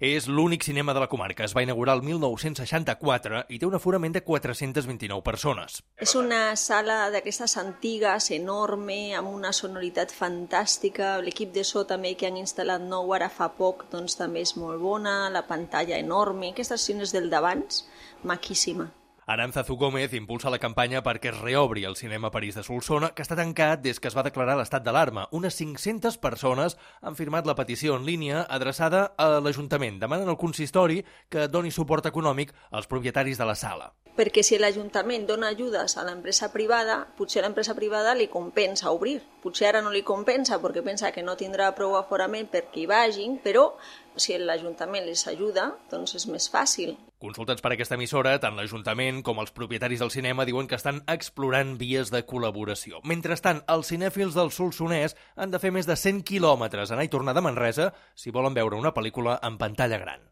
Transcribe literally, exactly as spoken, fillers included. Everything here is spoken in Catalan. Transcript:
És l'únic cinema de la comarca. Es va inaugurar el mil nou-cents seixanta-quatre i té un aforament de quatre-centes vint-i-nou persones. És una sala d'aquestes antigues, enorme, amb una sonoritat fantàstica. L'equip de so també que han instal·lat nou ara fa poc doncs, també és molt bona, la pantalla enorme, aquestes cines del d'abans, maquíssima. Arantzazu Gómez impulsa la campanya perquè es reobri el cinema París de Solsona, que està tancat des que es va declarar l'estat d'alarma. Unes cinc-centes persones han firmat la petició en línia adreçada a l'Ajuntament. Demanen al consistori que doni suport econòmic als propietaris de la sala. Perquè si l'Ajuntament dona ajudes a l'empresa privada, potser l'empresa privada li compensa obrir. Potser ara no li compensa perquè pensa que no tindrà prou aforament perquè hi vagin, però si l'Ajuntament les ajuda, doncs és més fàcil. Consultats per aquesta emissora, tant l'Ajuntament com els propietaris del cinema diuen que estan explorant vies de col·laboració. Mentrestant, els cinèfils del Solsonès han de fer més de cent quilòmetres anar i tornar de Manresa si volen veure una pel·lícula en pantalla gran.